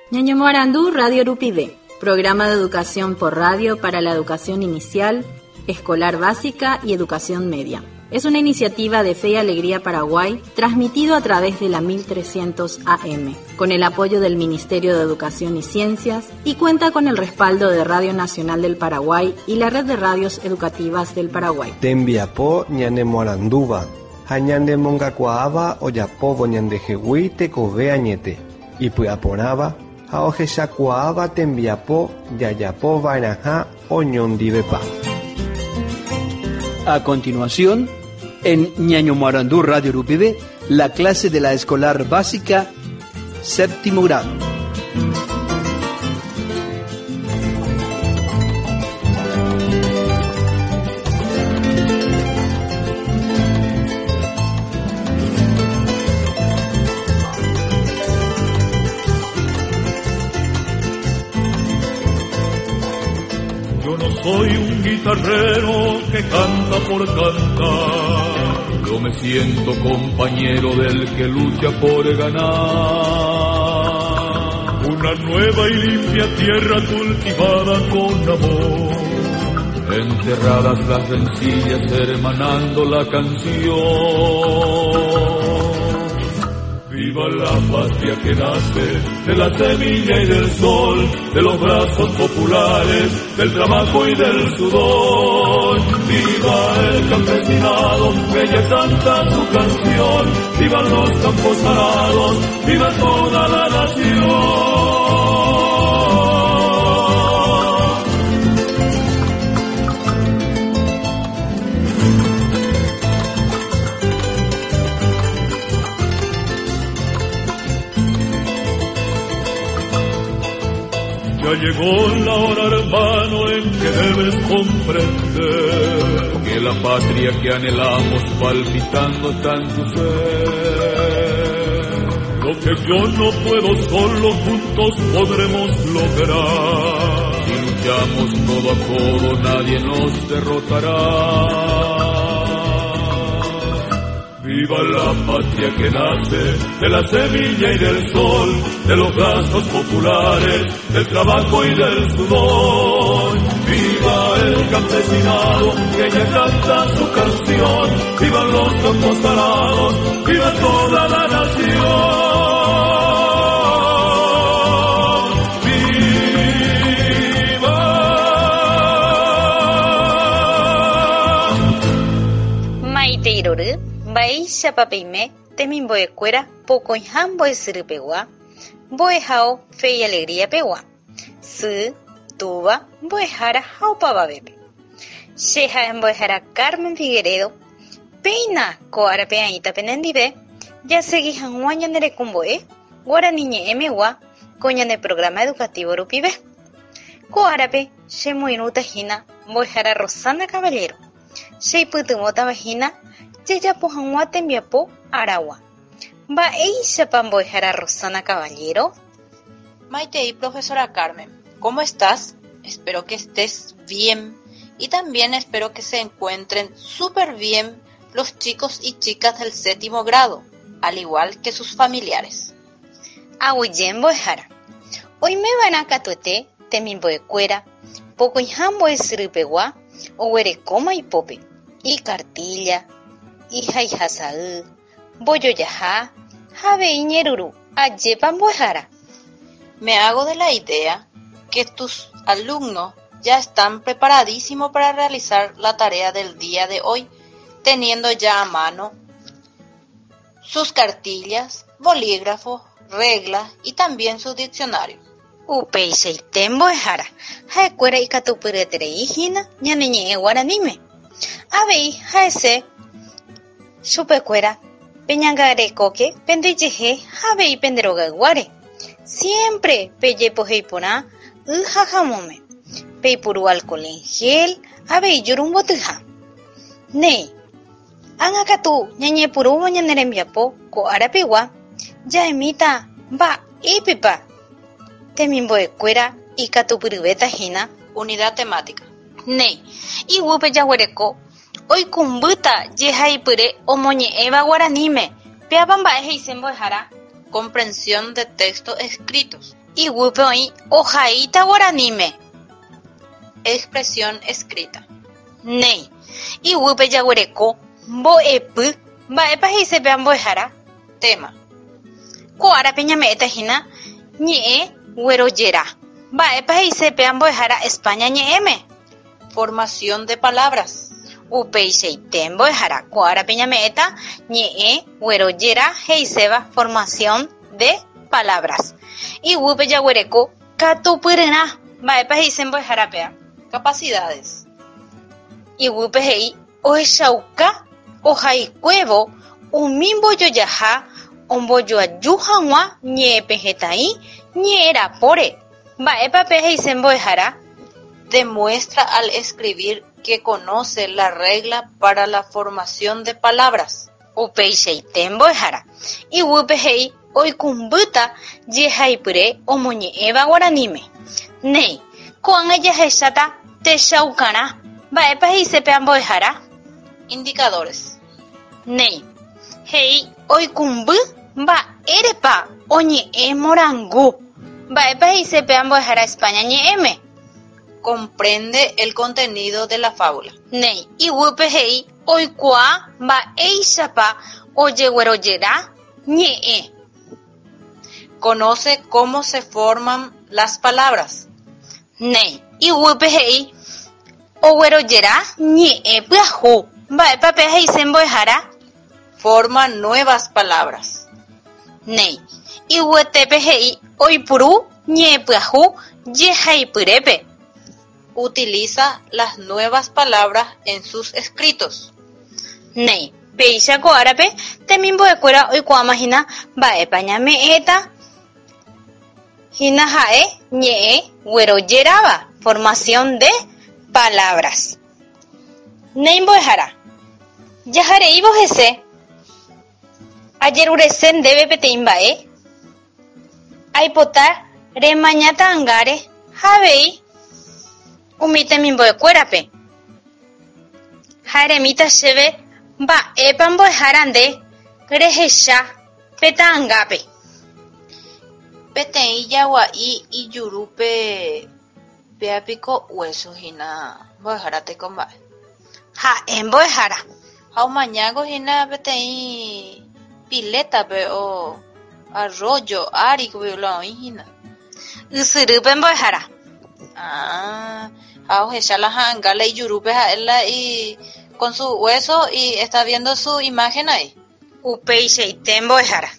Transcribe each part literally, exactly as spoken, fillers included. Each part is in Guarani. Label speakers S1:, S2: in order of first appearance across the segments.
S1: Ñañomoarandu Radio Rupive, programa de educación por radio para la educación inicial, escolar básica y educación media. Es una iniciativa de Fe y Alegría Paraguay, transmitido a través de la mil trescientos A M, con el apoyo del Ministerio de Educación y Ciencias, y cuenta con el respaldo de Radio Nacional del Paraguay y la Red de Radios Educativas del Paraguay.
S2: Tembiapo ñanemoarandúva, ha ñanemongakuaáva ojapóvo ñandehegui tekove añete, ipy'aporãva ha ohechakuaáva tembiapo jajapova'erãha oñondivepa.
S3: A continuación, en Ñañomoarandú Radio Rupive, la clase de la escolar básica, séptimo grado.
S4: Yo no soy un guitarrero que canta por cantar.
S5: Yo me siento compañero del que lucha por ganar.
S4: Una nueva y limpia tierra cultivada con amor.
S5: Enterradas las rencillas, hermanando la canción.
S4: Viva la patria que nace de la semilla y del sol, de los brazos populares, del trabajo y del sudor. Viva el campesinado, que ya canta su canción. Viva los campos arados, viva toda la nación. Ya llegó la hora, hermano, en que debes comprender
S5: que la patria que anhelamos palpitando está en tu ser.
S4: Lo que yo no puedo solo, juntos podremos lograr.
S5: Si luchamos codo a codo, nadie nos derrotará.
S4: Viva la patria que nace de la semilla y del sol, de los brazos populares, del trabajo y del sudor. Viva el campesinado que ya canta su canción. Viva los campos arados, viva toda la nación. ¡Viva!
S6: Maite Iroru, mba'éichapa peime temimbo'ekuéra pokõiha mbo'esyrýpegua, mbo'ehao Fe y Alegría pegua, sy, túva, mbo'ehára ha opavavépe. Che ha'e mbo'ehára Carmen Figueredo, péina ko árape aĩta penendive, jasegi hag̃ua ñane rekombo'e Guarani ñe'ẽmegua ko ñane programa educativo rupive. Ko árape chemoirũta hína mbo'ehára Rosana Caballero, cheipytyvõtava hína jajapo hag̃ua tembiapo aragua. Mba'éichapa mbo'ehára Rosana Caballero?
S7: Maitei, profesora Carmen, ¿cómo estás? Espero que estés bien y también espero que se encuentren súper bien los chicos y chicas del séptimo grado, al igual que sus familiares.
S6: Aguyje mbo'ehára. Oimeva'erã katuete temimbo'ekuéra, pokõiha mbo'esyrýpegua, oguerekóma ipópe, ikartilla, ihaihasa'y, mbojojaha, ha avei ñeruru. Ajépa mbo'ehára.
S7: Me hago de la idea que tus alumnos ya están preparadísimos para realizar la tarea del día de hoy, teniendo ya a mano sus cartillas, bolígrafos, reglas y también su diccionario.
S6: Upeichaite mbo'ehára, ha'ekuéra ikatupyryeterei hína ñane ñe'ẽ guaraníme. Avei ha'ese chupekuéra peñangarekóke pendejehe ha avei penderogayguáre. Siempre pejepoheiporã y ha jamóme. Peipuru alcohol en gel, avei jurumbotyha. Néi, ág̃akatu ñañepyrũvo ñane rembiapo ko árapegua, ja'emíta mba'épepa temimbo'ekuéra ikatupyryvéta hína.
S7: Unidad temática.
S6: Néi, iguýpe jaguereko oikũmbýta jehaipyre omoñe'ẽva guaraníme. Péapa mba'e he'ise mbo'ehára.
S7: Comprensión de textos escritos.
S6: Iguýpe oĩ ohaíta guaraníme.
S7: Expresión escrita.
S6: Néi, iguýpe jaguereko mbo'epy mba'épa he'ise pe ambo'ehára.
S7: Tema.
S6: Ko árape ñame'ẽta hína ñe'ẽ guerojera. Mba'épa he'ise pe ambo'ehára España ñe'ẽme.
S7: Formación de palabras.
S6: Upeichaite mbo'ehára. Ko árape ñame'ẽta ñe'ẽ guerojera he'iséva formación de palabras. Iguýpe jaguereko katupyryrã. Mba'épa he'ise mbo'ehára péa.
S7: Capacidades.
S6: Iguýpe he'i ohechauka ohaikuévo umi mbojojaha ombojoaju hag̃ua ñe'ẽpehẽtai ñe'ẽrapóre. Mba'épa pe he'ise mbo'ehára.
S7: Demuestra al escribir que conoce la regla para la formación de palabras.
S6: Upeichaite mbo'ehára. Iguýpe he'i oikũmbýta jehaipyre omoñe'ẽva guaraníme. Néi, ko'ág̃a jahecháta techaukarã. Mba'épa he'ise pe ambo'ehára.
S7: Indicadores.
S6: Néi, he'i oikũmby mba'érepa oñe'ẽ morangu. Mba'épa he'ise pe ambo'ehára España ñe'ẽme.
S7: Comprende el contenido de la fábula.
S6: Néi, iguýpe he'i oikuaa mba'éichapa ojeguerojera ñe'ẽ.
S7: Conoce cómo se forman las palabras.
S6: Néi, iguýpe he'i oguerojera ñe'ẽ pyahu. Mba'épa pe he'ise mbo'ehára.
S7: Forma nuevas palabras.
S6: Néi, iguyetépe he'i oipuru ñe'ẽ pyahu jehaipyrépe.
S7: Utiliza las nuevas palabras en sus escritos.
S6: Néi, péicha ko árape temimbo'ekuéra oikuaamahína mba'épa ñame'ẽta hína ha'e ñe'ẽ guerojeráva formación de palabras. Néi mbo'ehára, jahareívo hese ajerurese ndéve peteĩ mba'e aipota remaña ta'ãngáre ha avei umi temimbo'ekuérape. Ha eremíta chéve mba'épa mbo'ehára nde rehecha pe ta'ãngápe.
S7: Peteĩ jagua'i ijurúpe péapiko hueso hína mbo'ehára tekomba'e.
S6: Ha'e mbo'ehára.
S7: Ha omañáko hína peteĩ piletape o arroyo ári la oĩ hína.
S6: Ysyrýpe mbo'ehára.
S7: Ah, ha ohecha la ha'ãnga la ijurúpe ha'e la y con su hueso y está viendo su imagen ahí.
S6: Upeichaite mbo'ehára.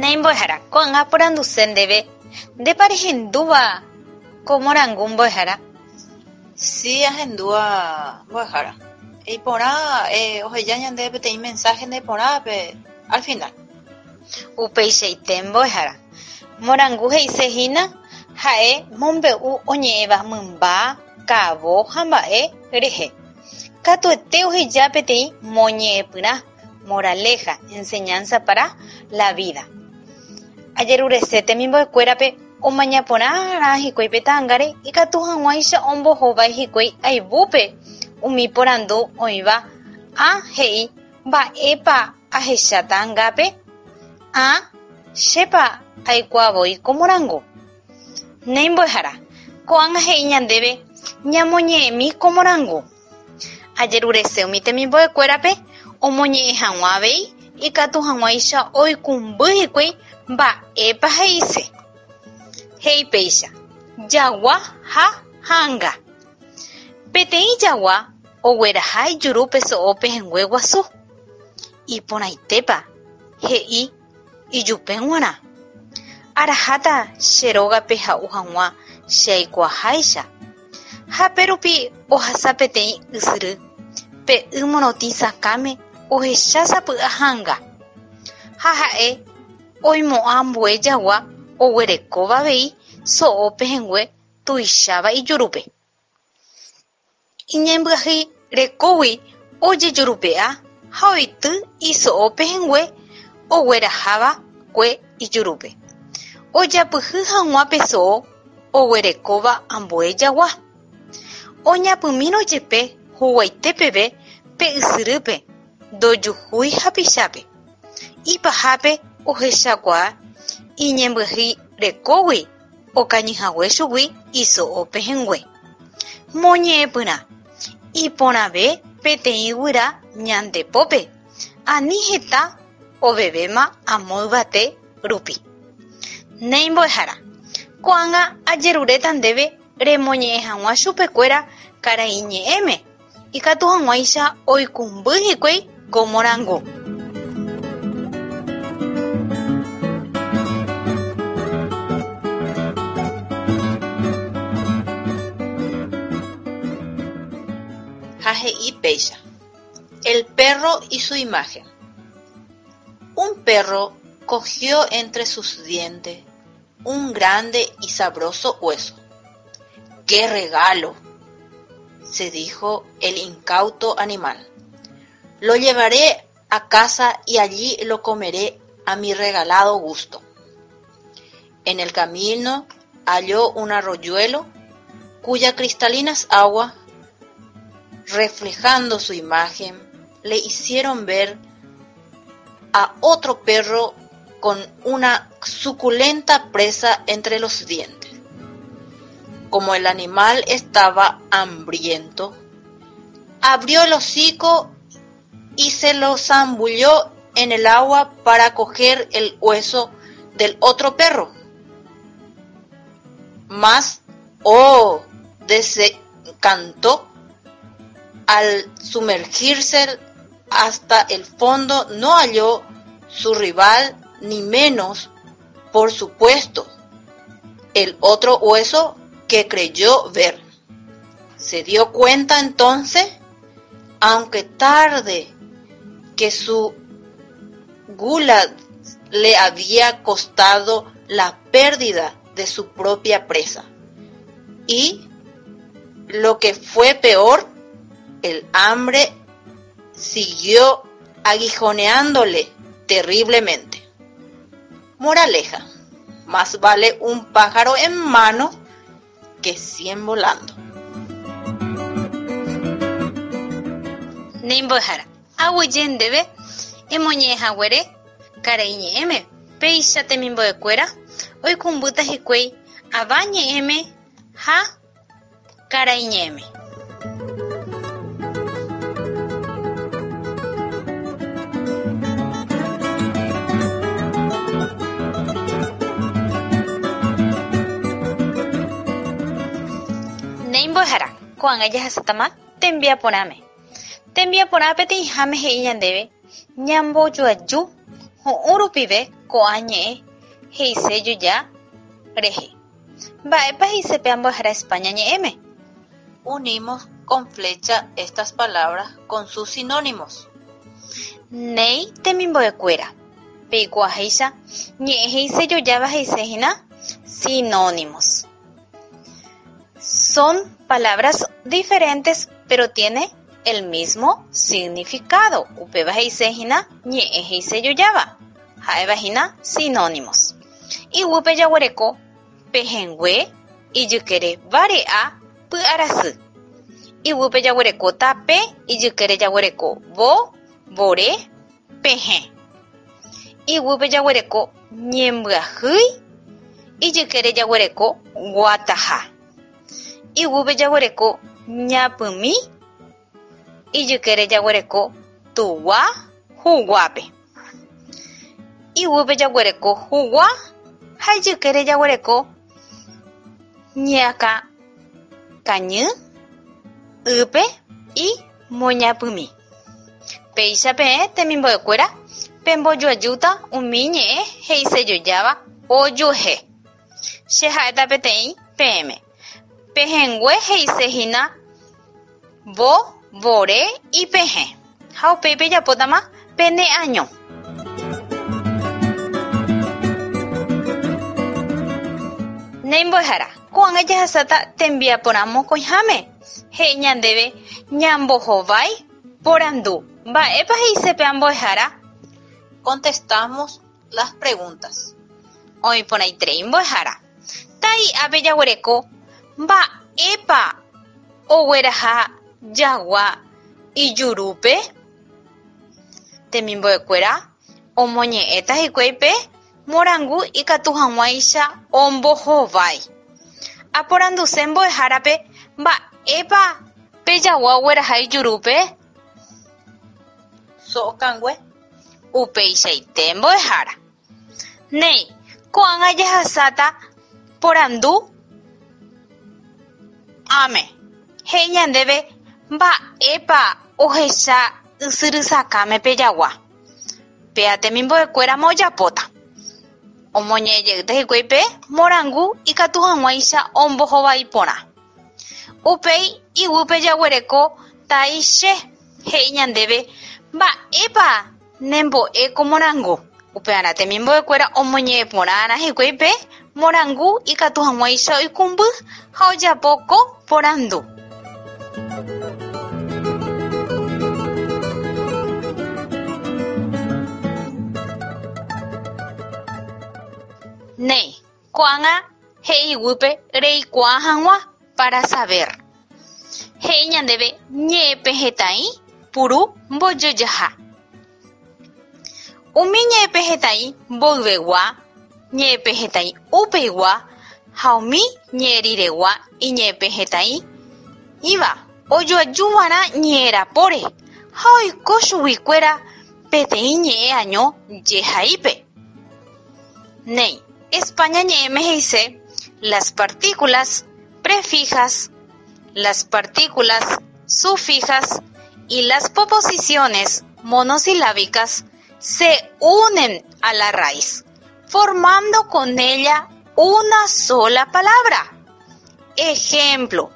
S6: Néi mbo'ehára, ko'ág̃a aporanduse ndéve ndépa rehendúva ko morangu mbo'ehára.
S7: Sí, ahendúva mbo'ehára. Iporã eh, oheja ñandéve peteĩ mensaje ndeporãpe al final.
S6: Upeichaite mbo'ehára. Morangu he'ise hína ha'e mombe'u oñe'ẽva mymba, ka'avo ha mba'e rehe. Katuete oheja peteĩ moñe'ẽpyrã, moraleja, enseñanza para la vida. Ajerurese temimbo'ekuérape omañaporãrã hikuái pe ta'ãngáre ikatu hag̃uáicha ombohovái hikuái ayvúpe umi porandu oĩva ha he'i mba'épa ahecha ta'ãngápe ha chépa aikuaavoi ko morangu. Néi mbo'ehára, ko'ág̃a he'i ñandéve ñamoñe'ẽmi ko morangu. Ajerurese umi temimbo'ekuérape omoñe'ẽ hag̃ua avei ikatu hag̃uáicha oikũmby hikuái mba'épa he'ise. He'i péicha jagua ha ha'ãnga. Peteĩ jagua ogueraha ijurúpe so'o pehẽngue guasu. Iporãitépa he'i ijupe g̃uarã. Araháta che rógape ha'u hag̃ua che aikuaaháicha. Ha pérupi ohasa peteĩ ysyry. Pe y morotĩ sakãme ohecha sapy'a ha'ãnga. Ha ha'e oimo'ã ambue jagua oguerekóva avei so'o pehẽngue tuicháva ijurúpe. Iñembyahýi rekógui ojejurupe'a ha oity iso'o pehẽngue oguerahava'ekue ijurúpe. Ojapyhy hag̃ua pe so'o oguerekóva ambue jagua. Oñapymírõ jepe huguaite peve pe ysyrýpe ndojuhúi hapichápe. Ipahápe ohechakuaa iñembyahyirekógui okañyhague chugui iso'o pehẽngue. Moñe'ẽpyrã iporãve peteĩ guyra ñande pópe ani heta ovevéma amo yvate rupi. Néi mbo'ehára, ko'ág̃a ajeruréta ndéve remoñe'ẽ hag̃ua chupekuéra karaiñe'ẽme ikatu hag̃uáicha oikũmby hikuái ko morangu.
S7: Ha he'i péicha. El perro y su imagen. Un perro cogió entre sus dientes un grande y sabroso hueso. ¡Qué regalo! Se dijo el incauto animal. Lo llevaré a casa y allí lo comeré a mi regalado gusto. En el camino halló un arroyuelo cuya cristalinas aguas, reflejando su imagen, le hicieron ver a otro perro con una suculenta presa entre los dientes. Como el animal estaba hambriento, abrió el hocico y se lo zambulló en el agua para coger el hueso del otro perro. Mas, oh, desencantó, al sumergirse hasta el fondo no halló su rival ni menos, por supuesto, el otro hueso que creyó ver. Se dio cuenta entonces, aunque tarde, que su gula le había costado la pérdida de su propia presa. Y, lo que fue peor, el hambre siguió aguijoneándole terriblemente. Moraleja, más vale un pájaro en mano que cien volando.
S6: Néi mbo'ehára, aguyje ndéve emoñe'ẽhaguére karaiñe'ẽme péicha temimbo'ekuéra oikũmbýta hikuái avañe'ẽme ha karaiñe'ẽme. Néi mbo'ehára, ko'ág̃a jahasátama tembiaporãme. Tembiaporã peteĩháme he'i ñandéve ñambojoaju hu'ũ rupive ko'ã ñe'ẽ he'isejoja rehe. Mba'épa he'ise pe mbo'ehára España ñe'ẽme?
S7: Unimos con flecha estas palabras con sus sinónimos.
S6: Néi temimbo'ekuéra, peikuaaháicha ñe'ẽ he'isejojáva he'isehína sinónimos. Son palabras diferentes pero tiene el mismo significado. Upéva he'isehína ñe'ẽ he'isejojáva. Ha'evahína sinónimos. Iguýpe jaguereko pehẽngue ijykére vare'a py'arasy. Iguýpe jaguereko tape ijykére jaguereko vo, vore, pehẽ. Iguýpe jaguereko ñembyahýi ijykére jaguereko guataha. Iguýpe jaguereko ñapymi ijykére jaguereko tugua huguápe. Iguýpe jaguereko hugua ha ijykére jaguereko ñeakã kañy ýpe y moñapymi. Péicha peẽ temimbo'ekuéra pembojoajúta umi ñe'ẽ he'isejojáva ojuehe. Che ha'éta peteĩ peẽme. Pehẽngue he'isehína vo, vore, ipehẽ. Ha upéi pejapótama peneaño. Néi mbo'ehára, ko'ág̃a jahasáta tembiaporã mokõiháme. He'i ñandéve ñambohovái porandu. Mba'épa he'ise pe mbo'ehára?
S7: Contestamos las preguntas.
S6: Oĩporãiterei mbo'ehára. Tai ápe jaguereko mba'épa ogueraha jagua ijurúpe? Temimbo'ekuéra omoñe'ẽta hikuái pe morangu ikatu hag̃uáicha ombohovái. Aporanduse mbo'ehárape mba'épa pe jagua ogueraha ijurúpe?
S7: So'okangue.
S6: Upeichaite mbo'ehára. Néi, ko'ág̃a jahasáta porandu áme. He'i ñandéve mba'épa ohecha ysyrysakãme pe jagua. Péa temimbo'ekuérama ojapóta. Omoñe'ẽjeýta hikuái pe morangu ikatu hag̃uáicha ombohovái porã. Upéi iguýpe jaguereko taíche he'i ñandéve mba'épa nembo'e ko morangu. Upearã temimbo'ekuéra omoñe'ẽ porãrã hikuái pe morangu ikatu hag̃uáicha oikũmby ha ojapo ko porandu. Néi, ko'ág̃a he'i iguýpe reikuaa hag̃ua para saber. He'i ñandéve ñe'ẽpehẽtai puru mbojojaha. Umi ñe'ẽpehẽtai mboyvegua, ñe'ẽpehẽtai upeigua ha umi ñe'ẽriregua iñe'ẽpehẽtai iva ojoajuva'erã ñe'ẽrapóre ha oiko chuguikuéra peteĩ ñe'ẽ año jehaípe. Néi, España ñe'ẽme he'ise las partículas prefijas, las partículas sufijas y las posposiciones monosilábicas se unen a la raíz, formando con ella una sola palabra. Ejemplo,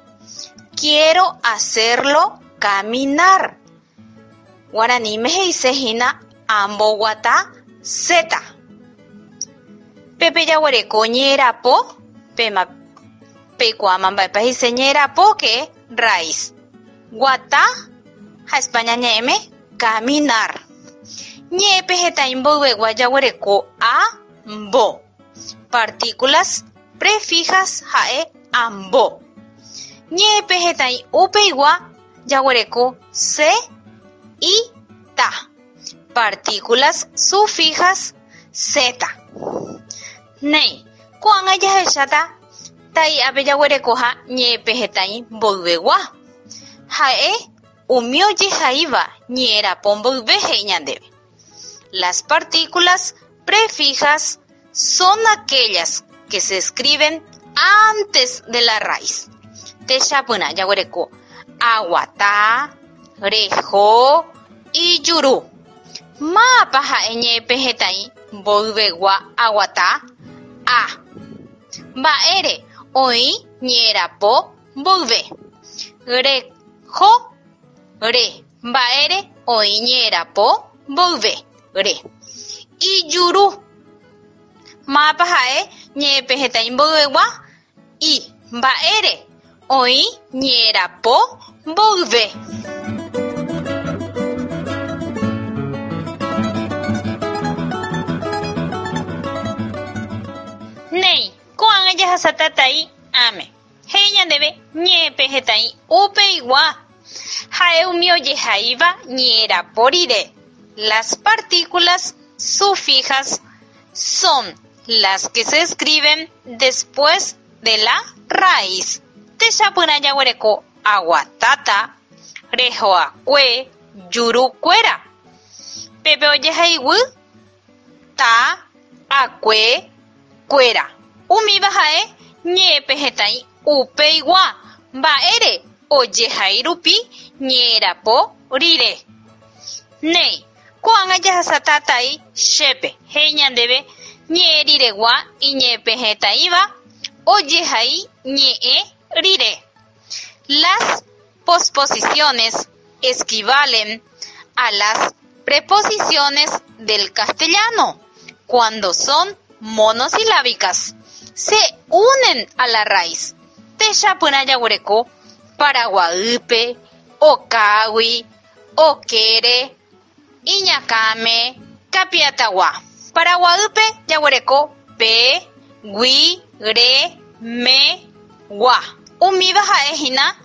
S6: quiero hacerlo caminar. Guaraníme he'ise hína amboguata zeta. Pépe jaguereko ñe'ẽrapo, péma peikuaáma mba'épa he'ise ñe'ẽrapo que raíz. Guata ha España ñe'ẽme caminar. Ñe'ẽpehẽtai mboyvegua jaguereko a mbo. Partículas prefijas ha'e ambo. Ñe'ẽpehẽtai upeigua jaguereko se y ta. Partículas sufijas zeta. Néi, ko'ág̃a jahecháta tai'ápe jaguerekoha ñe'ẽpehẽtai mboyvegua. Ha'e umi ojehaíva ñe'ẽrapo mboyve he'i ñandéve. Las partículas prefijas son aquellas que se escriben antes de la raíz. Techapyrã jaguereko aguata, reho, ijuru. Mápa ha'e ñe'ẽpehẽtai mboyvegua aguata? A. Mba'ére oĩ ñe'ẽrapo mboyve. Reho, re. Mba'ére oĩ ñe'ẽrapo mboyve. Re. Ijuru. Mápa ha'e ñe'ẽpehẽtai mboyvegua? I. Mba'ére oĩ ñe'ẽrapo mboyve. Néi, ko'ág̃a jahasáta tai áme. He'i ñandéve ñe'ẽpehẽtai upeigua. Ha'e umi ojehaíva ñe'ẽrapo rire. Las partículas sufijas son las que se escriben después de la raíz. Techapyrã jaguereko aguatáta, rehoakue, jurukuéra. Pépe ojehaiguy ta, akue, kuéra. Umíva ha'e ñe'ẽpehẽtai upeigua. Mba'ére ojehai rupi ñe'ẽrapo rire. Néi, ko'ág̃a jahasáta tai chépe. He'i ñandéve ñe'ẽriregua iñe'ẽpehẽtaíva ojehai ñe'ẽ rire. Las posposiciones equivalen a las preposiciones del castellano cuando son monosilábicas. Se unen a la raíz. Techapyrã jaguereko Paraguaýpe, Okágui, Okére, Iñakãme, Kapiatagua. Paraguaýpe jaguereko pe, gui, re, me, gua. Umíva ha'ehína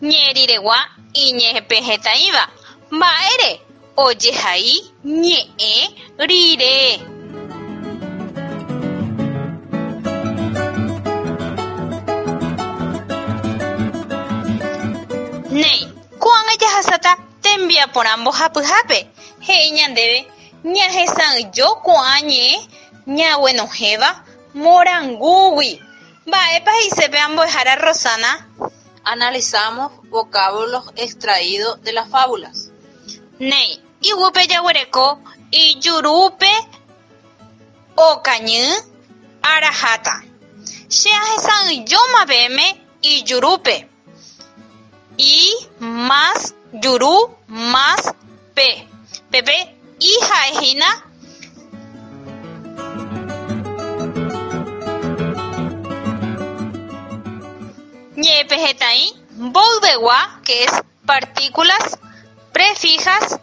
S6: Ñe'ẽ riregua iñepehẽtaĩva. Mba'ére ojehai ñe'ẽ rire. Néi, ko'ág̃a jahasáta tembiaporã mbohapyhápe. He'i ñandéve ñahesa'ỹijo ko'ã ñe'ẽ ñaguenohẽva morangúgui. Mba'épa he'ise pe mbo'ehára Rosana?
S7: Analizamos vocablos extraídos de las fábulas.
S6: Néi, iguýpe jaguereko ijurúpe okañy araháta. Che ahesa'ỹijóma peẽme ijurúpe. I más juru más pe. Pépe i ha'ehína ñe'ẽpehẽtai mboyvegua, que es partículas prefijas,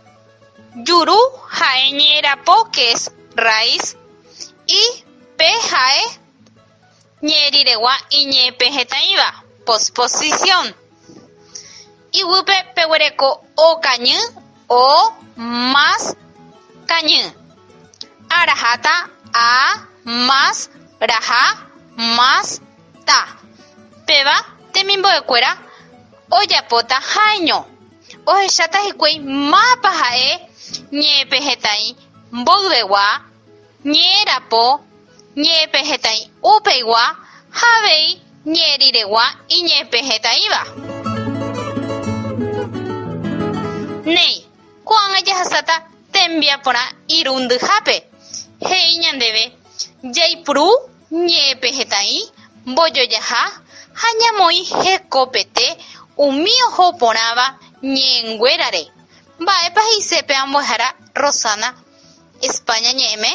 S6: juru ha'e ñe'ẽrapo, que es raíz, y pe ha'e ñe'ẽ riregua iñe'ẽpehẽtaĩva, posposición. Iguýpe peguereko okañy o más kañy. Araháta a más raha más ta. Péva temimbo'ekuéra ojapóta ha'eño. Ohecháta hikuái mápa ha'e ñe'ẽpehẽtai mboyvegua, ñe'ẽrapo, ñe'ẽpehẽtai upeigua ha avei ñe'ẽ riregua iñe'ẽpehẽtaĩva. Néi, ko'ág̃a jahasáta tembiaporã irundyhápe. He'i ñandéve jaipuru ñe'ẽpehẽtai mbojojaha ha ñamoĩ hekopete umi oho porãva ñe'ẽnguérare. Mba'épa he'ise pe mbo'ehára Rosana España ñe'ẽme?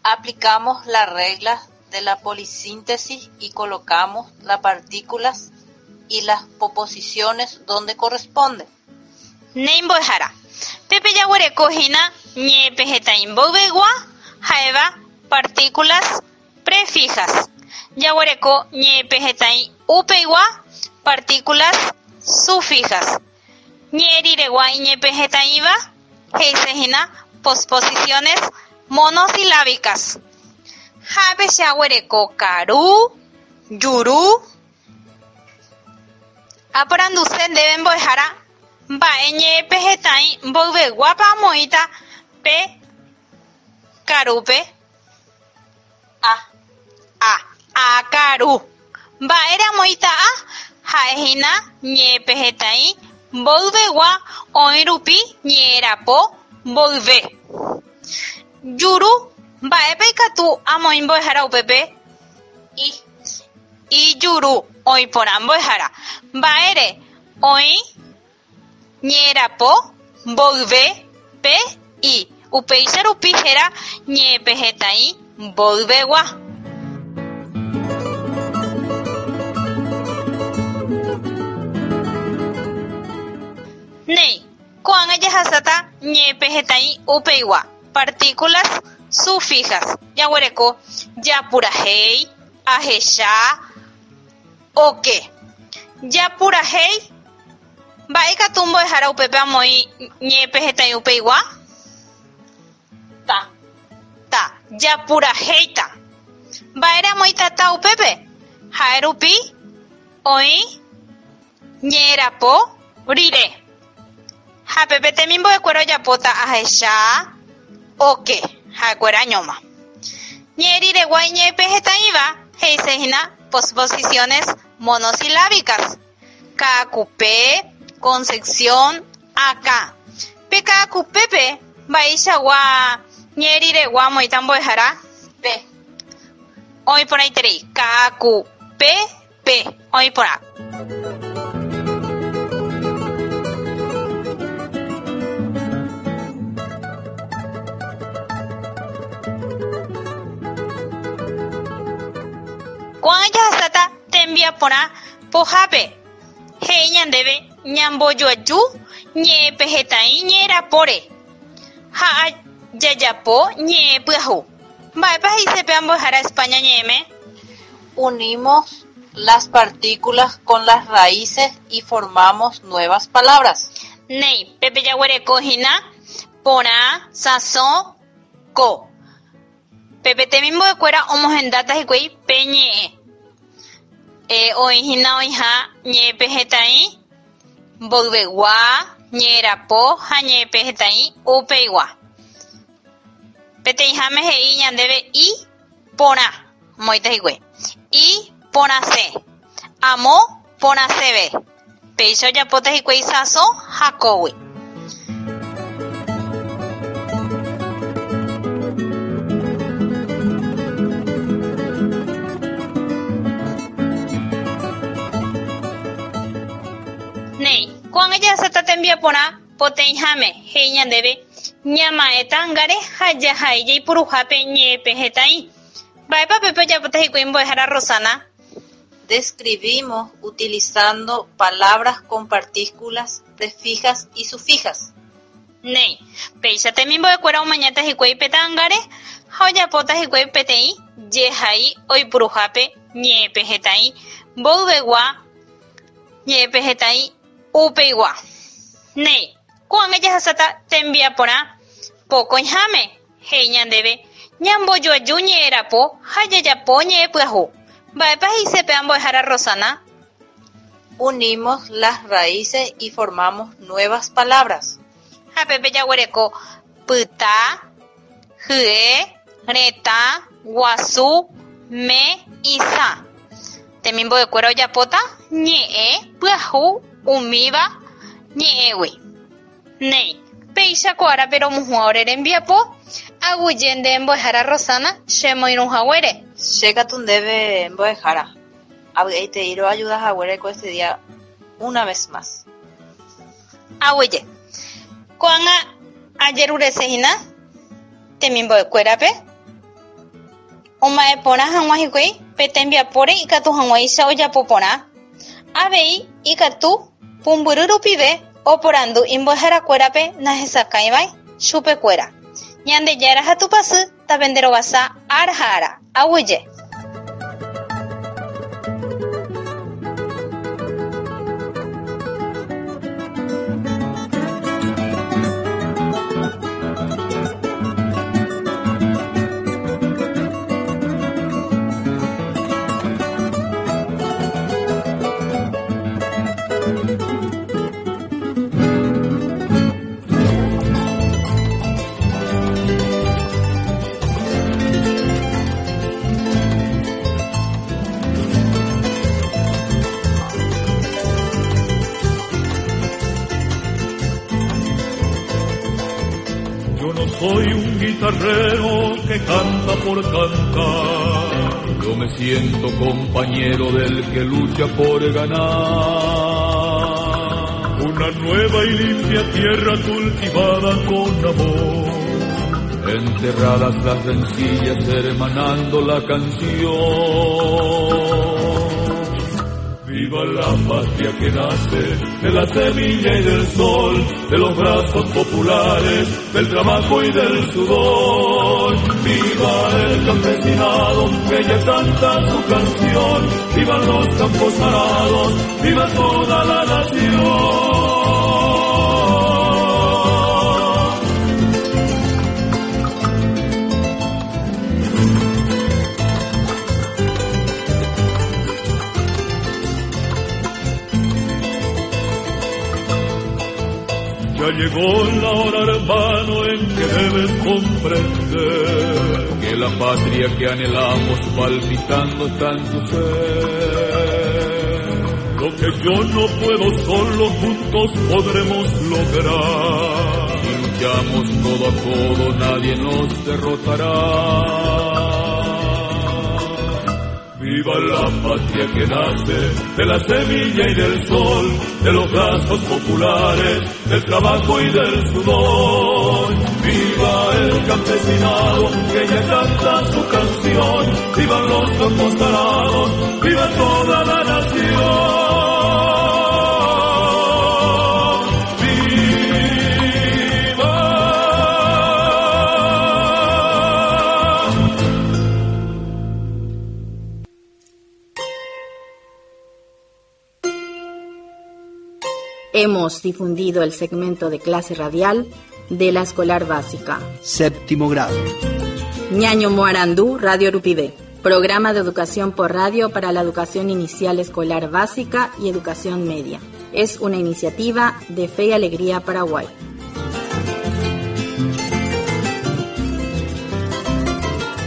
S7: Aplicamos las reglas de la polisíntesis y colocamos las partículas y las poposiciones donde corresponde.
S6: Néi mbo'ehára. Pépe jaguerekohína ñe'ẽpehẽtai mboyvegua ha'éva partículas prefijas. Jaguereko ñe'ẽpehẽtai upeigua partículas sufijas. Ñe'ẽ riregua iñe'ẽpehẽtaĩva he'isehína posposiciones monosilábicas. Ha che aguereko karu, juru. Aporanduse ndéve mbo'ehára mba'e ñe'ẽpehẽtai mboyveguápa amoĩta pe karúpe.
S7: A.
S6: A. Akaru. Mba'ére amoĩta a ha'ehína ñe'ẽpehẽtai mboyvegua oĩ rupi ñe'ẽrapo mboyve. Juru. Mba'épa ikatu amoĩ mbo'ehára upépe?
S7: I.
S6: Ijuru. Oĩ porã mbo'ehára. Mba'ére oĩ ñe'ẽrapo mboyve pe i. Upéicha rupi héra ñe'ẽpehẽtai mboyvegua. Néi, ko'ág̃a jahasáta ñe'ẽpehẽtai upeigua, partículas sufijas. Jaguereko japurahéi, ahecha, oke. Japurahéi, mba'e ikatu mbo'ehára upépe amoĩ ñe'ẽpehẽtai upeigua?
S7: Ta.
S6: Ta. Japurahéita. Mba'ére amoĩta ta upépe? Ha'e rupi oĩ ñe'ẽrapo rire. Ha pépe temimbo'ekuéra ojapóta ahecha, oke. Ha'ekuéra ñoma. Ñe'ẽ riregua iñe'ẽpehẽtaĩva he'isehína posposiciones monosilábicas. Ka'akupe, Concepción, akã. Pe ka'akupépe mba'eichagua ñe'ẽ riregua amoĩta mbo'ehára?
S7: Pe.
S6: Oĩ porãiterei. Ka'akupe pe. Oĩ porã. Ko'ág̃a jahasáta tembiaporã pohápe. He'i ñandéve ñambojoaju ñe'ẽpehẽtai ñe'ẽrapóre ha jajapo ñe'ẽ pyahu. Mba'épa he'ise pe mbo'ehára España ñe'ẽme?
S7: Unimos las partículas con las raíces y formamos nuevas palabras.
S6: Néi, pépe jaguereko hína, porã, sãso, ko. Pépe temimbo'ekuéra omohendáta hikuái pe ñe'ẽ. E, oĩhína oĩha ñe'ẽpehẽtai mboyvegua, ñe'ẽrapo ha ñe'ẽpehẽtai upeigua. Peteĩháme he'i ñandéve i porã omoĩta hikuái. I porãse. Amo porãseve. Péicha ojapóta hikuái sãso ha kógui. Néi, ko'ág̃a jahasáta tembiaporã poteĩháme he'i ñandéve ñama'ẽ ta'ãngáre ha jahai jaipuruhápe ñe'ẽpehẽtai. Mba'épa pépe ojapóta hikuái mbo'ehára Rosana?
S7: Describimos utilizando palabras con partículas prefijas y sufijas.
S6: Néi, péicha temimbo'ekuéra omañáta hikuái pe ta'ãngáre ha ojapóta hikuái peteĩ jehai oipuruhápe ñe'ẽpehẽtai mboyvegua, ñe'ẽpehẽtai upeigua. Néi, ko'ág̃a jahasáta tembiaporã pokõiháme he'i ñandéve ñambojoaju ñe'ẽrapo ha jajapo ñe'ẽpyahu. Mba'épa he'ise pe mbo'ehára Rosana?
S7: Unimos las raíces y formamos nuevas palabras.
S6: Ha pépe jaguereko pyta, hye, retã, guasu, me, isã. Temimbo'ekuéra ojapóta ñe'ẽ pyahu umíva ñe'ẽgui. Néi, péicha ko árape romuhũa ore rembiapo aguyje nde mbo'ehára Rosana chemoirũhaguére.
S7: Che katu ndéve mbo'ehára. Avy'aitei roayudahaguére ko este día una vez más.
S6: Aguyje. Ko'ág̃a ajeruresehína temimbo'ekuérape oma'ẽporã hag̃ua hikuái pe tembiapóre ikatu hag̃uáicha ojapo porã. Avei ikatu pumbyry rupive oporandu imbo'eharakuérape nahesakãivai chupekuéra. Ñandejára ha Tupãsy tapenderovasa ára ha ára. Aguyje.
S4: Yo no soy un guitarrero que canta por cantar.
S5: Yo me siento compañero del que lucha por ganar.
S4: Una nueva y limpia tierra cultivada con amor.
S5: Enterradas las rencillas, hermanando la canción.
S4: Viva la patria que nace de la semilla y del sol, de los brazos populares, del trabajo y del sudor. Viva el campesinado que ya canta su canción, vivan los campos arados, viva toda la nación. Ya llegó la hora, hermano, en que debes comprender
S5: que la patria que anhelamos palpitando está en tu ser.
S4: Lo que yo no puedo solo, juntos podremos lograr.
S5: Si luchamos codo a codo, nadie nos derrotará.
S4: Viva la patria que nace de la semilla y del sol, de los brazos populares, del trabajo y del sudor. Viva el campesinado que ya canta su canción, vivan los campos arados, viva toda la nación. ¡Viva!
S1: Hemos difundido el segmento de clase radial de la escolar básica.
S3: Séptimo grado.
S1: Ñañomoarandú Radio Rupivé. Programa de educación por radio para la educación inicial escolar básica y educación media. Es una iniciativa de Fe y Alegría Paraguay.